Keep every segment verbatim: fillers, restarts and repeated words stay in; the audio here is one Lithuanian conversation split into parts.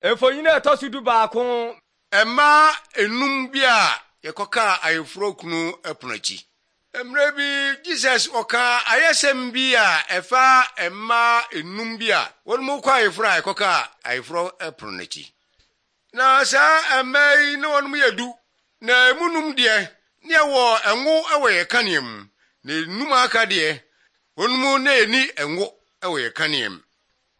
Efoyina etosudu baako. Emma enum bia yekoka ayefro kunu epunachi. Emre bi Jesus oka ayesem bia efa emma enum bia wonmu kwa ayefro ayekoka ayefro epunachi. Na sa emai no wonmu yedu na emunum de ne wo enwo ewe yekanem na enum aka de wonmu na eni enwo ewe yekanem.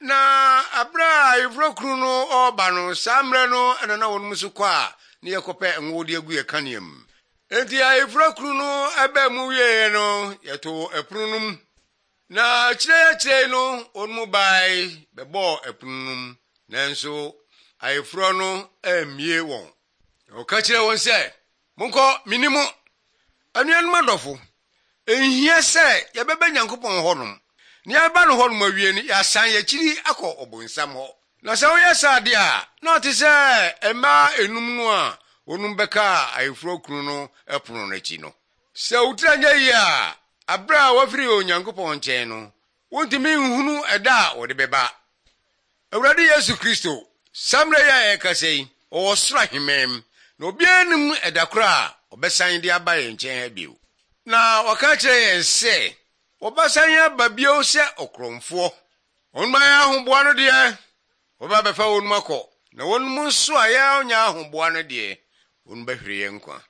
Na abra ayefro kunu no oba no samre no ena na wonmu so kwa ne yekope enwo de agu yekanem. Enti ayefro kunu no ebe mu wiye no yeto eprunum na kire kire no onmu bai bebo eprunum nanso ayefro no amie won o ka kire won se monko minimo anuanum adofo ehia se yebebe nyankopon honum ne aba no honum awie ni yasan ya kiri akọ obonsam ho na se wo yesade a na ote se ema enum no a onum beka ayefro kunu no epono nachi no se utranya yi a abra wafiri onyankopon nchen no wontimi nhunu eda wo de beba awurade Yesu Kristo samre ya ekasei o sra himem na obianum edakora obesan de abaye nchen ha biu na waka kire yen se obasan ya babio se okromfo onma ya ahoboa no de oba befa wonum akọ na wonum nso aya onya ahoboa no de onba hwere yenkwa